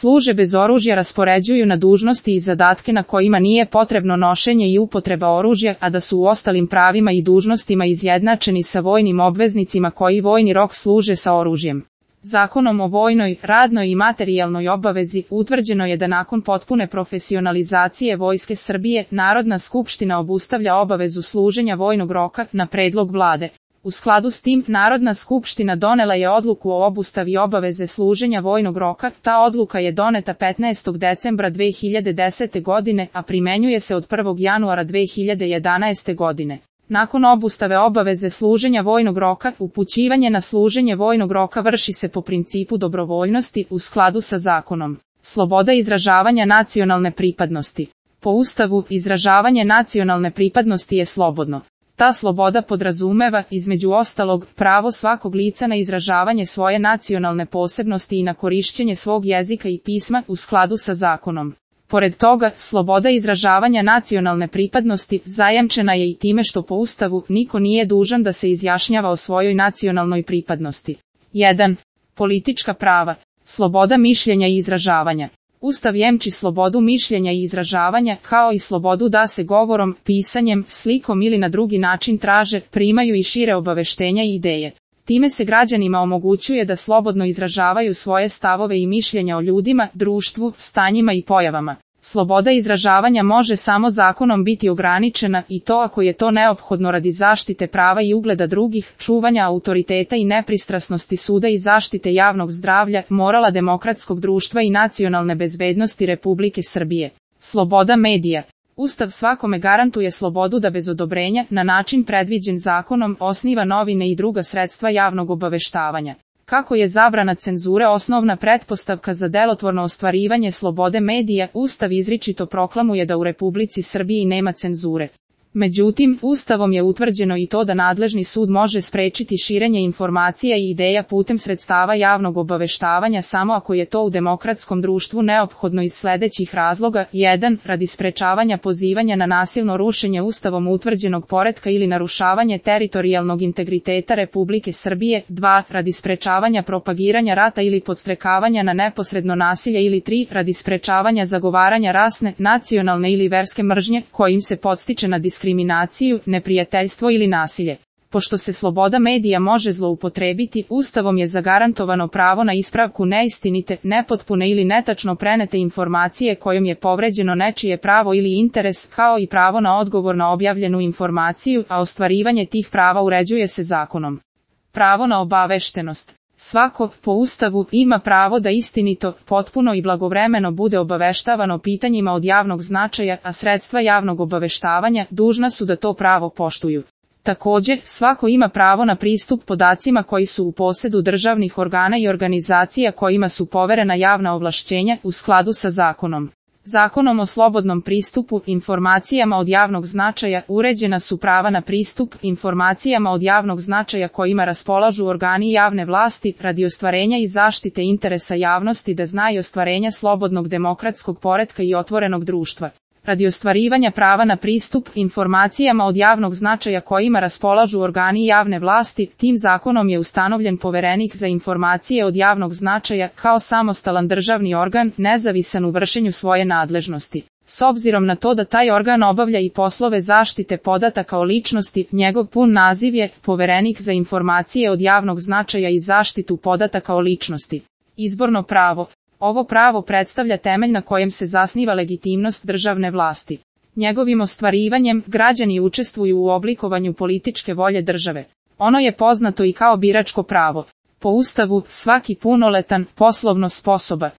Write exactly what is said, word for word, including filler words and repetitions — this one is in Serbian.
služe bez oružja raspoređuju na dužnosti i zadatke na kojima nije potrebno nošenje i upotreba oružja, a da su u ostalim pravima i dužnostima izjednačeni sa vojnim obveznicima koji vojni rok služe sa oružjem. Zakonom o vojnoj, radnoj i materijalnoj obavezi utvrđeno je da nakon potpune profesionalizacije Vojske Srbije, Narodna skupština obustavlja obavezu služenja vojnog roka na predlog vlade. U skladu s tim, Narodna skupština donela je odluku o obustavi obaveze služenja vojnog roka. Ta odluka je doneta petnaestog decembra dve hiljade desete godine, a primenjuje se od prvog januara dve hiljade jedanaeste godine. Nakon obustave obaveze služenja vojnog roka, upućivanje na služenje vojnog roka vrši se po principu dobrovoljnosti u skladu sa zakonom. Sloboda izražavanja nacionalne pripadnosti. Po Ustavu, izražavanje nacionalne pripadnosti je slobodno. Ta sloboda podrazumeva, između ostalog, pravo svakog lica na izražavanje svoje nacionalne posebnosti i na korišćenje svog jezika i pisma u skladu sa zakonom. Pored toga, sloboda izražavanja nacionalne pripadnosti zajamčena je i time što po Ustavu niko nije dužan da se izjašnjava o svojoj nacionalnoj pripadnosti. jedan. Politička prava. Sloboda mišljenja i izražavanja. Ustav jemči slobodu mišljenja i izražavanja, kao i slobodu da se govorom, pisanjem, slikom ili na drugi način traže, primaju i šire obaveštenja i ideje. Time se građanima omogućuje da slobodno izražavaju svoje stavove i mišljenja o ljudima, društvu, stanjima i pojavama. Sloboda izražavanja može samo zakonom biti ograničena, i to ako je to neophodno radi zaštite prava i ugleda drugih, čuvanja autoriteta i nepristrasnosti suda i zaštite javnog zdravlja, morala demokratskog društva i nacionalne bezbednosti Republike Srbije. Sloboda medija. Ustav svakome garantuje slobodu da bez odobrenja, na način predviđen zakonom, osniva novine i druga sredstva javnog obaveštavanja. Kako je zabrana cenzure osnovna pretpostavka za delotvorno ostvarivanje slobode medija, Ustav izričito proklamuje da u Republici Srbiji nema cenzure. Međutim, Ustavom je utvrđeno i to da nadležni sud može sprečiti širenje informacija i ideja putem sredstava javnog obaveštavanja samo ako je to u demokratskom društvu neophodno iz sledećih razloga: jedan. Radi sprečavanja pozivanja na nasilno rušenje Ustavom utvrđenog poretka ili narušavanje teritorijalnog integriteta Republike Srbije; dva. Radi sprečavanja propagiranja rata ili podstrekavanja na neposredno nasilje; ili tri. Radi sprečavanja zagovaranja rasne, nacionalne ili verske mržnje, kojim se podstiče na diskriminaciju, diskriminaciju, neprijateljstvo ili nasilje. Pošto se sloboda medija može zloupotrebiti, Ustavom je zagarantovano pravo na ispravku neistinite, nepotpune ili netačno prenete informacije kojom je povređeno nečije pravo ili interes, kao i pravo na odgovor na objavljenu informaciju, a ostvarivanje tih prava uređuje se zakonom. Pravo na obaveštenost. Svako, po Ustavu, ima pravo da istinito, potpuno i blagovremeno bude obaveštavano pitanjima od javnog značaja, a sredstva javnog obaveštavanja dužna su da to pravo poštuju. Također, svako ima pravo na pristup podacima koji su u posedu državnih organa i organizacija kojima su poverena javna ovlašćenja u skladu sa zakonom. Zakonom o slobodnom pristupu informacijama od javnog značaja uređena su prava na pristup informacijama od javnog značaja kojima raspolažu organi javne vlasti radi ostvarenja i zaštite interesa javnosti da znaju ostvarenja slobodnog demokratskog poretka i otvorenog društva. Radi ostvarivanja prava na pristup informacijama od javnog značaja kojima raspolažu organi javne vlasti, tim zakonom je ustanovljen Poverenik za informacije od javnog značaja kao samostalan državni organ, nezavisan u vršenju svoje nadležnosti. S obzirom na to da taj organ obavlja i poslove zaštite podataka o ličnosti, njegov pun naziv je Poverenik za informacije od javnog značaja i zaštitu podataka o ličnosti. Izborno pravo. Ovo pravo predstavlja temelj na kojem se zasniva legitimnost državne vlasti. Njegovim ostvarivanjem, građani učestvuju u oblikovanju političke volje države. Ono je poznato i kao biračko pravo. Po Ustavu, svaki punoletan, poslovno sposoban